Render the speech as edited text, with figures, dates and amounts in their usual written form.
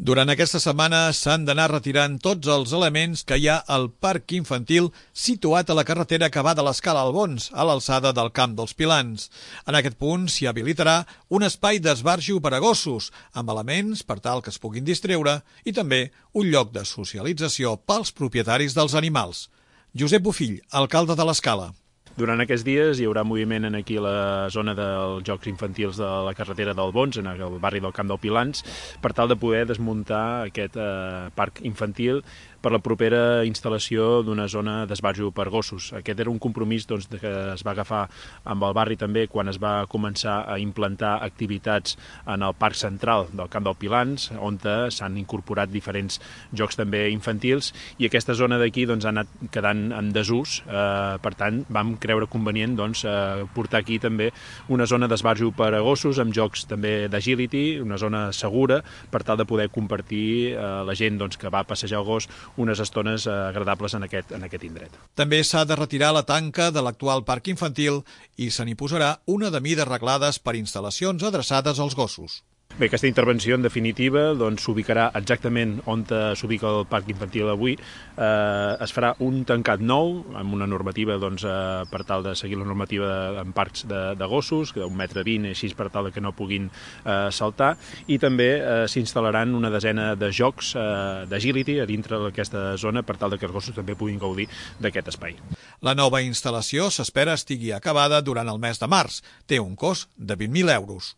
Durant aquesta setmana s'han d'anar retirant tots els elements que hi ha al parc infantil situat a la carretera que va de l'Escala Albons, a l'alçada del Camp dels Pilans. En aquest punt s'hi habilitarà un espai d'esbarjo per a gossos, amb elements per tal que es puguin distreure i també un lloc de socialització pels propietaris dels animals. Josep Bofill, alcalde de l'Escala. Durant aquests dies hi haurà moviment aquí a la zona dels jocs infantils de la carretera d'Albons, en el barri del Camp dels Pilans, per tal de poder desmuntar aquest parc infantil per la propera instal·lació d'una zona d'esbarjo per gossos. Aquest era un compromís que es va agafar amb el barri també quan es va començar a implantar activitats en el parc central del Camp dels Pilans, on s'han incorporat diferents jocs també infantils, i aquesta zona d'aquí ha anat quedant en desús. Per tant, vam creure convenient portar aquí també una zona d'esbarjo per a gossos amb jocs també d'agility, una zona segura per tal de poder compartir la gent que va a passejar el gos unes estones agradables en aquest indret. També s'ha de retirar la tanca de l'actual parc infantil i se n'hi posarà una de mides reglades per instal·lacions adreçades als gossos. Bé, aquesta intervenció, en definitiva, s'ubicarà exactament on s'ubica el parc infantil avui. Es farà un tancat nou, amb una normativa per tal de seguir la normativa en parcs de gossos, d'un 1,20 m, així per tal que no puguin saltar, i també s'instal·laran una desena de jocs d'agility a dintre d'aquesta zona per tal que els gossos també puguin gaudir d'aquest espai. La nova instal·lació s'espera estigui acabada durant el mes de març. Té un cost de 20.000 euros.